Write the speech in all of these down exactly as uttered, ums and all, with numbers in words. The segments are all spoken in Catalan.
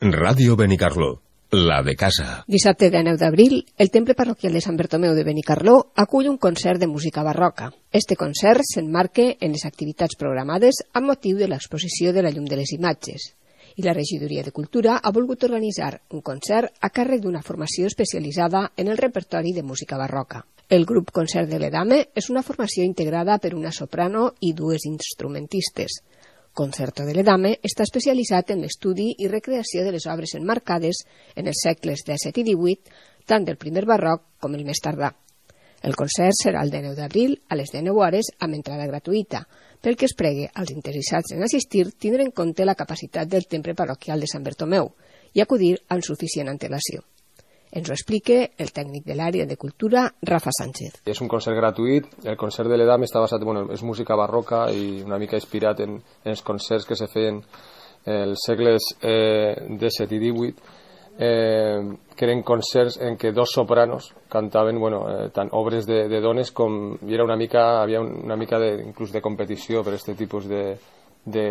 Ràdio Benicarló, la de casa. Dissabte dinou d'abril, el Temple Parroquial de Sant Bertomeu de Benicarló acull un concert de música barroca. Este concert s'emmarca en les activitats programades amb motiu de l'exposició de la llum de les imatges. I la Regidoria de Cultura ha volgut organitzar un concert a càrrec d'una formació especialitzada en el repertori de música barroca. El grup Concert de l'Edame és una formació integrada per una soprano i dues instrumentistes. Concerto de l'Edame està especialitzat en l'estudi i recreació de les obres emmarcades en els segles disset i divuit, tant del primer barroc com el més tardà. El concert serà el dinou d'abril a les dinou hores amb entrada gratuïta, pel que es pregue als interessats en assistir tindre en compte la capacitat del Temple Parroquial de Sant Bertomeu i acudir amb suficient antelació. Ens ho explica el tècnic de l'àrea de cultura, Rafa Sánchez. És un concert gratuït. El concert de l'Edame està basat, bueno, és música barroca i una mica inspirat en, en els concerts que se feien els segles eh, disset i divuit, eh, que eren concerts en què dos sopranos cantaven, bueno, eh, tant obres de, de dones com i era una mica, havia una mica de, inclús de competició per aquest tipus de, de,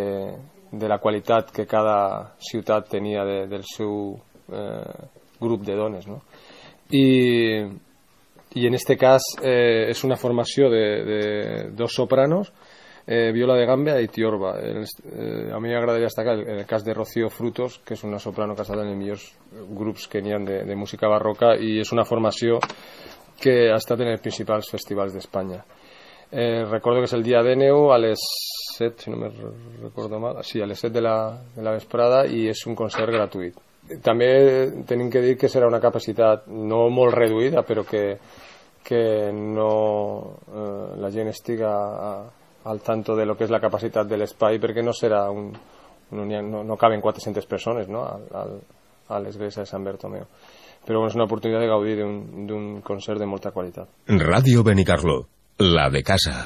de la qualitat que cada ciutat tenia de, del seu eh, grup de dones, no? I, i en este cas eh, és una formació de, de dos sopranos, eh, viola de gamba i tiorba. El, eh, a mi m'agradaria destacar el, el cas de Rocío Frutos, que és una soprano que ha estat en els millors grups que n'hi ha de, de música barroca i és una formació que ha estat en els principals festivals d'Espanya. Eh, recordo que és el dia dinou a les set, si no me recordo mal, sí, a les set de la, de la vesprada i és un concert gratuït. També tenim que dir que serà una capacitat no molt reduïda, però que, que no, eh, la gent estiga a, al tanto de lo que és la capacitat de l'espai, perquè no serà un, un no, no caben quatre-centes persones, no? a, a, a l'església de Sant Bertomeu. Però bueno, és una oportunitat de gaudir d'un concert de molta qualitat. Ràdio Benicarló, la de casa.